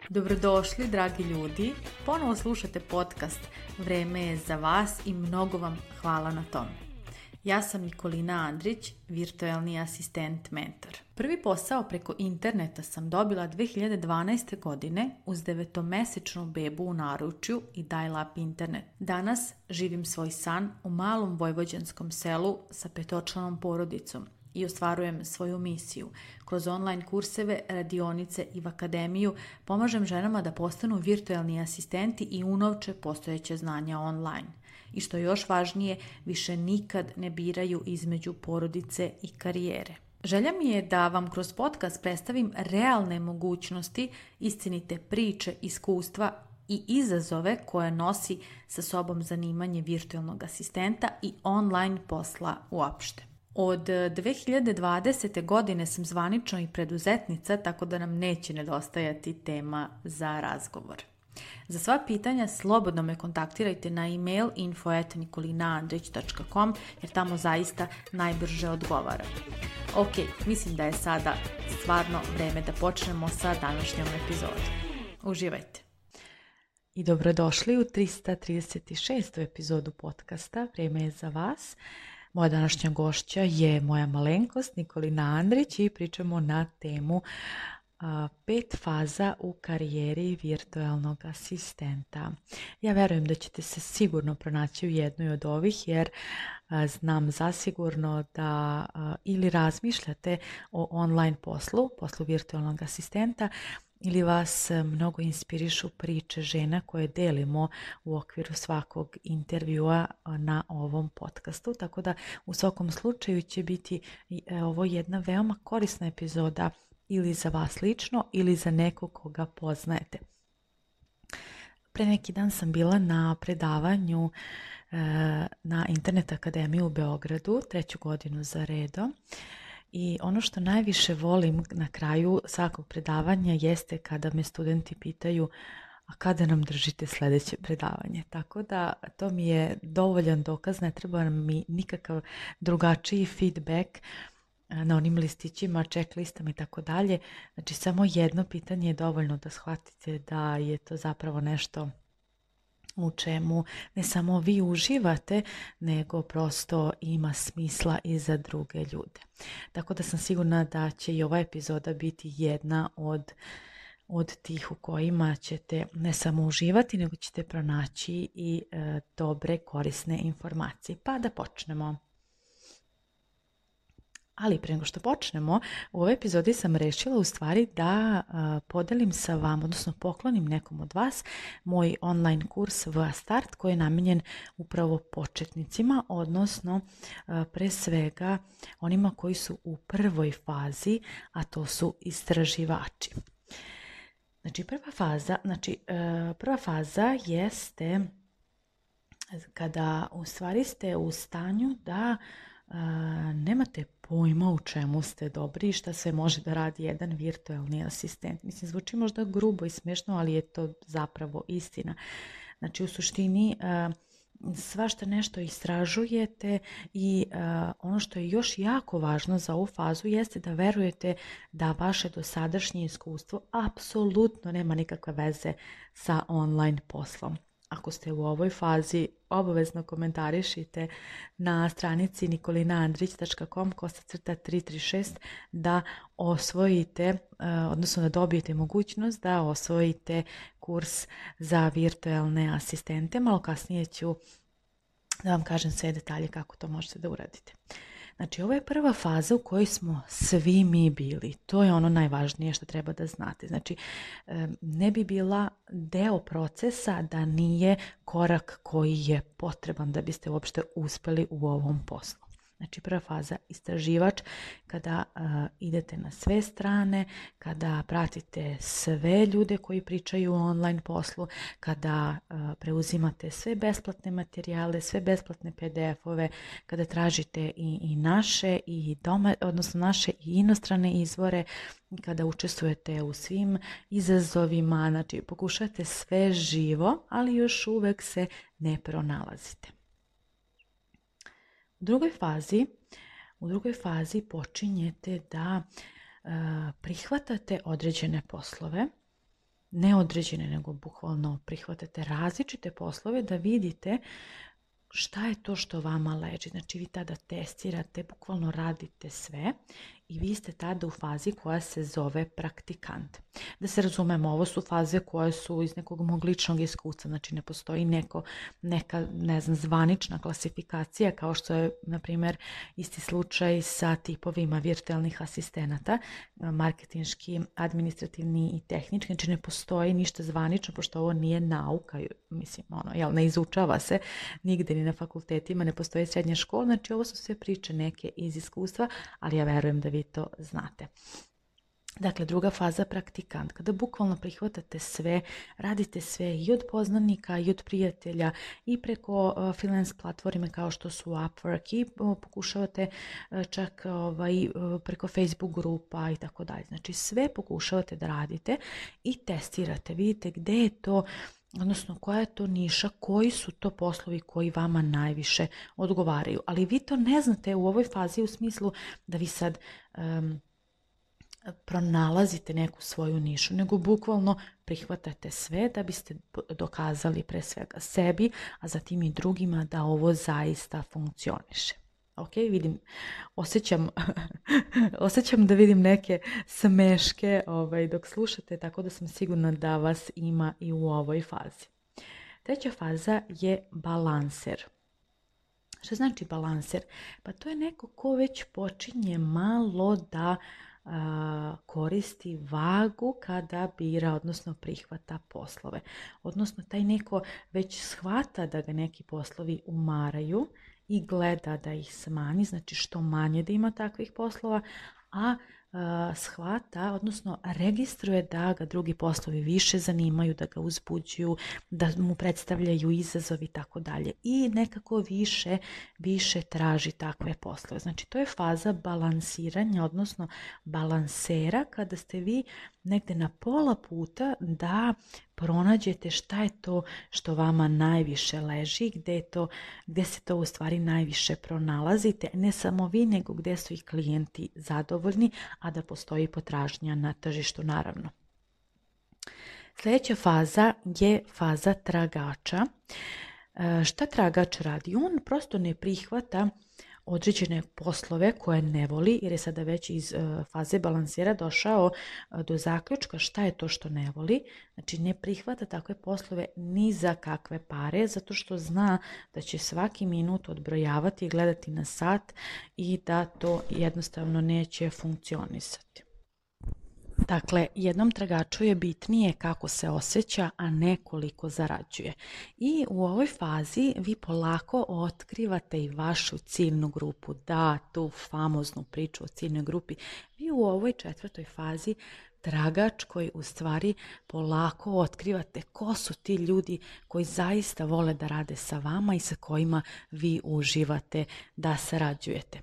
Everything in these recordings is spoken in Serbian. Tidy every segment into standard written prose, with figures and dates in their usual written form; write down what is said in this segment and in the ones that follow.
Dobrodošli, dragi ljudi. Ponovo slušate podcast Vreme je za vas i mnogo vam hvala na tom. Ja sam Nikolina Andrić, virtualni asistent mentor. Prvi posao preko interneta sam dobila 2012. godine uz 9-mesečnu bebu u naručju i dial-up internet. Danas živim svoj san u malom vojvođanskom selu sa 5-članom porodicom i ostvarujem svoju misiju. Kroz online kurseve, radionice i v akademiju pomažem ženama da postanu virtualni asistenti i unovče postojeće znanja online. I što je još važnije, više nikad ne biraju između porodice i karijere. Želja mi je da vam kroz podcast predstavim realne mogućnosti, istinite priče, iskustva i izazove koje nosi sa sobom zanimanje virtualnog asistenta i online posla uopšte. Od 2020. godine sam zvanično i preduzetnica, tako da nam neće nedostajati tema za razgovor. Za sva pitanja slobodno me kontaktirajte na email info@nikolinaandrić.com jer tamo zaista najbrže odgovaram. Ok, mislim da je sada stvarno vreme da počnemo sa današnjom epizodom. Uživajte! I dobrodošli u 336. epizodu podcasta Vreme je za vas. Moja današnja gošća je moja malenkost Nikolina Andrić i pričamo na temu 5 faza u karijeri virtualnog asistenta. Ja verujem da ćete se sigurno pronaći u jednoj od ovih jer znam zasigurno da ili razmišljate o online poslu virtualnog asistenta ili vas mnogo inspirišu priče žena koje delimo u okviru svakog intervjua na ovom podcastu. Tako da u svakom slučaju će biti ovo jedna veoma korisna epizoda ili za vas lično ili za nekog koga poznajete. Pre neki dan sam bila na predavanju na Internet akademiji u Beogradu, 3. godinu za redom. I ono što najviše volim na kraju svakog predavanja jeste kada me studenti pitaju a kada nam držite sljedeće predavanje. Tako da to mi je dovoljan dokaz, ne treba mi nikakav drugačiji feedback na onim listićima, checklistama i tako dalje. Znači samo jedno pitanje je dovoljno da shvatite da je to zapravo nešto u čemu ne samo vi uživate, nego prosto ima smisla i za druge ljude. Tako da sam sigurna da će i ova epizoda biti jedna od tih u kojima ćete ne samo uživati, nego ćete pronaći i dobre, korisne informacije. Pa da počnemo. Ali prije nego što počnemo, u ovoj epizodi sam rešila u stvari da podelim sa vama, odnosno poklonim nekom od vas moj online kurs VA Start koji je namijenjen upravo početnicima, odnosno pre svega onima koji su u prvoj fazi, a to su istraživači. Znači prva faza jeste kada u stvari ste u stanju da nemate pojma u čemu ste dobri i šta sve može da radi jedan virtualni asistent. Mislim, zvuči možda grubo i smiješno, ali je to zapravo istina. Znači, u suštini svašta nešto istražujete i ono što je još jako važno za ovu fazu jeste da verujete da vaše dosadašnje iskustvo apsolutno nema nikakve veze sa online poslom. Ako ste u ovoj fazi, obavezno komentarišite na stranici nikolinaandrić.com/336 da osvojite, odnosno da dobijete mogućnost da osvojite kurs za virtualne asistente. Malo kasnije ću da vam kažem sve detalje kako to možete da uradite. Znači, ovo je prva faza u kojoj smo svi mi bili. To je ono najvažnije što treba da znate. Znači, ne bi bila deo procesa da nije korak koji je potreban da biste uopšte uspeli u ovom poslu. Znači, prva faza istraživač, kada idete na sve strane, kada pratite sve ljude koji pričaju o online poslu, kada preuzimate sve besplatne materijale, sve besplatne PDF-ove, kada tražite i naše i odnosno naše i inostrane izvore, kada učestvujete u svim izazovima, znači pokušate sve živo, ali još uvek se ne pronalazite. U drugoj fazi počinjete da prihvatate određene poslove, ne određene, nego bukvalno prihvatate različite poslove da vidite šta je to što vama leži. Znači vi tada testirate, bukvalno radite sve i vi ste tada u fazi koja se zove praktikant. Da se razumemo, ovo su faze koje su iz nekog mog ličnog iskustva, znači ne postoji neka zvanična klasifikacija kao što je, na primjer, isti slučaj sa tipovima virtualnih asistenata, marketinški, administrativni i tehnički, znači ne postoji ništa zvanično, pošto ovo nije nauka, mislim, ne izučava se nigde ni na fakultetima, ne postoji srednja škola, znači ovo su sve priče neke iz iskustva, ali ja verujem da vi to znate. Dakle, druga faza, praktikant, kada bukvalno prihvatate sve, radite sve i od poznanika i od prijatelja i preko freelance platforme kao što su Upwork i pokušavate čak preko Facebook grupa i tako dalje. Znači sve pokušavate da radite i testirate, vidite gde je to, odnosno koja je to niša, koji su to poslovi koji vama najviše odgovaraju. Ali vi to ne znate u ovoj fazi u smislu da vi sad pronalazite neku svoju nišu, nego bukvalno prihvatate sve da biste dokazali pre svega sebi, a zatim i drugima da ovo zaista funkcioniše. Ok, vidim, osjećam da vidim neke smeške dok slušate, tako da sam sigurna da vas ima i u ovoj fazi. Treća faza je balanser. Što znači balanser? Pa to je neko ko već počinje malo da koristi vagu kada bira, odnosno prihvata poslove. Odnosno taj neko već shvata da ga neki poslovi umaraju i gleda da ih smanji, znači što manje da ima takvih poslova, a shvata, odnosno registruje da ga drugi poslovi više zanimaju, da ga uzbuđuju, da mu predstavljaju izazov i tako dalje. I nekako više traži takve poslove. Znači to je faza balansiranja, odnosno balansera, kada ste vi negde na pola puta da pronađete šta je to što vama najviše leži, gde se to u stvari najviše pronalazite, ne samo vi, nego gde su i klijenti zadovoljni, a da postoji potražnja na tržištu naravno. Sljedeća faza je faza tragača. Šta tragač radi? On prosto ne prihvata određene poslove koje ne voli, jer je sada već iz faze balansira došao do zaključka šta je to što ne voli. Znači ne prihvata takve poslove ni za kakve pare, zato što zna da će svaki minut odbrojavati i gledati na sat i da to jednostavno neće funkcionisati. Dakle, jednom tragaču je bitnije kako se osjeća, a ne koliko zarađuje. I u ovoj fazi vi polako otkrivate i vašu ciljnu grupu. Da, tu famoznu priču o ciljnoj grupi. Vi u ovoj četvrtoj fazi tragač koji u stvari polako otkrivate ko su ti ljudi koji zaista vole da rade sa vama i sa kojima vi uživate da sarađujete.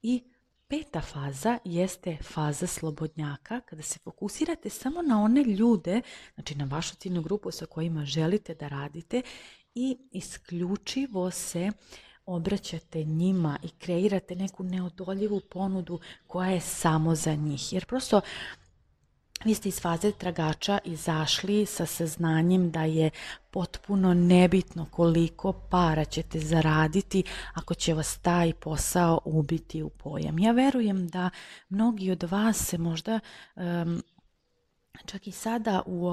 I peta faza jeste faza slobodnjaka, kada se fokusirate samo na one ljude, znači na vašu ciljnu grupu sa kojima želite da radite i isključivo se obraćate njima i kreirate neku neodoljivu ponudu koja je samo za njih. Jer prosto vi ste iz faze tragača izašli sa saznanjem da je potpuno nebitno koliko para ćete zaraditi ako će vas taj posao ubiti u pojam. Ja verujem da mnogi od vas se možda čak i sada u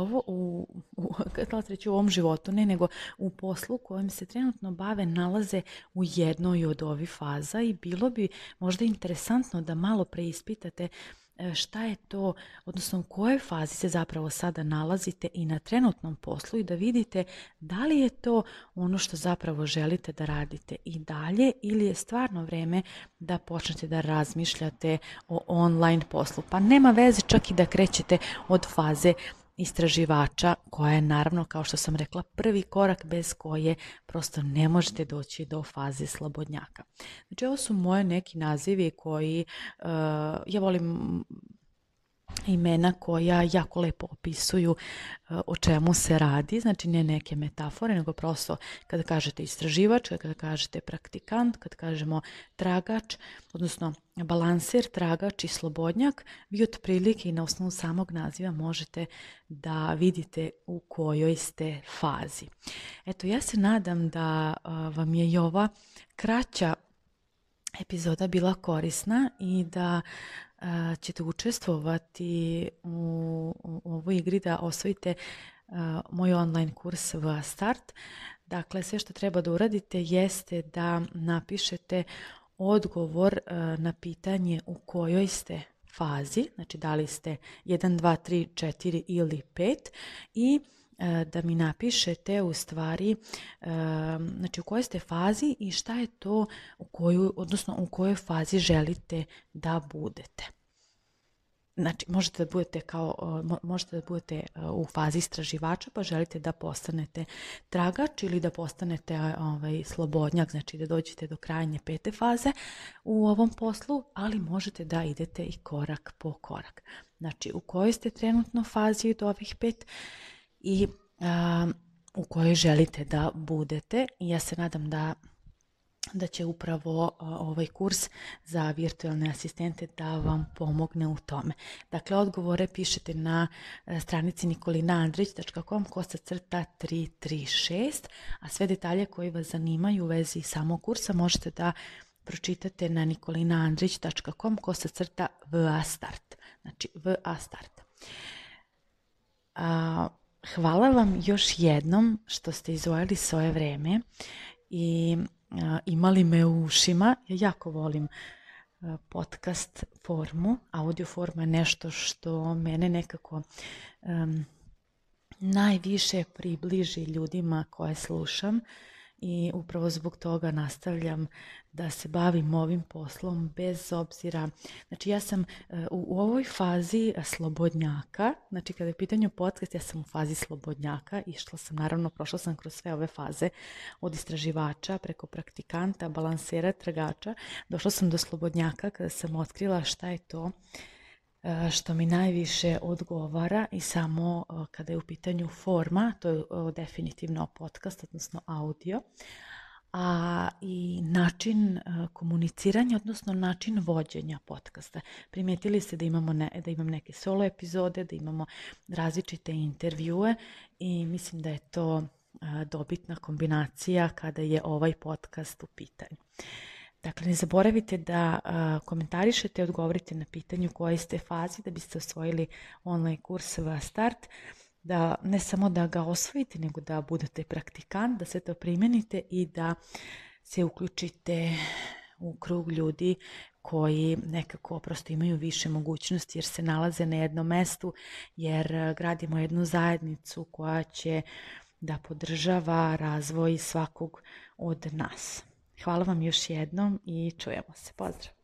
ovom životu, ne nego u poslu kojim se trenutno bave, nalaze u jednoj od ovih faza i bilo bi možda interesantno da malo preispitate šta je to, odnosno u kojoj fazi se zapravo sada nalazite i na trenutnom poslu i da vidite da li je to ono što zapravo želite da radite i dalje ili je stvarno vreme da počnete da razmišljate o online poslu. Pa nema veze čak i da krećete od faze istraživača koja je naravno, kao što sam rekla, prvi korak bez koje prosto ne možete doći do faze slobodnjaka. Znači ovo su moje neki nazivi koji ja volim imena koja jako lepo opisuju o čemu se radi, znači ne neke metafore, nego prosto kada kažete istraživač, kada kažete praktikant, kada kažemo tragač, odnosno balanser, tragač i slobodnjak, vi otprilike i na osnovu samog naziva možete da vidite u kojoj ste fazi. Eto, ja se nadam da vam je i ova kraća epizoda bila korisna i da ćete učestvovati u ovoj igri da osvojite moj online kurs VA Start. Dakle, sve što treba da uradite jeste da napišete odgovor na pitanje u kojoj ste fazi, znači da li ste 1, 2, 3, 4 ili 5 i da mi napišete u stvari znači u kojoj ste fazi i šta je to u kojoj fazi želite da budete. Znači možete da budete u fazi istraživača pa želite da postanete tragač ili da postanete slobodnjak, znači da dođete do krajnje 5. faze u ovom poslu, ali možete da idete i korak po korak. Znači u kojoj ste trenutno fazi od ovih 5 i u kojoj želite da budete. I ja se nadam da će upravo ovaj kurs za virtualne asistente da vam pomogne u tome. Dakle, odgovore pišete na stranici nikolinaandrić.com/336, a sve detalje koji vas zanimaju u vezi samog kursa možete da pročitate na nikolinaandrić.com/VA Start. Znači, VA Start. Hvala vam još jednom što ste izdvojili svoje vreme i imali me u ušima. Ja jako volim podcast formu. Audio forma je nešto što mene nekako najviše približi ljudima koje slušam i upravo zbog toga nastavljam da se bavim ovim poslom bez obzira. Znači ja sam u ovoj fazi slobodnjaka, znači kada je pitanje podcast, ja sam u fazi slobodnjaka, prošla sam kroz sve ove faze od istraživača preko praktikanta, balansera, tragača, došla sam do slobodnjaka kada sam otkrila šta je to što mi najviše odgovara i samo kada je u pitanju forma, to je definitivno podcast, odnosno audio, a i način komuniciranja, odnosno način vođenja podcasta. Primetili ste da imam neke solo epizode, da imamo različite intervjue i mislim da je to dobitna kombinacija kada je ovaj podcast u pitanju. Dakle, ne zaboravite da komentarišete i odgovorite na pitanje u kojoj ste fazi da biste osvojili online kurs VA Start, da ne samo da ga osvojite, nego da budete praktikant, da se to primenite i da se uključite u krug ljudi koji nekako prosto imaju više mogućnosti jer se nalaze na jednom mestu, jer gradimo jednu zajednicu koja će da podržava razvoj svakog od nas. Hvala vam još jednom i čujemo se. Pozdrav!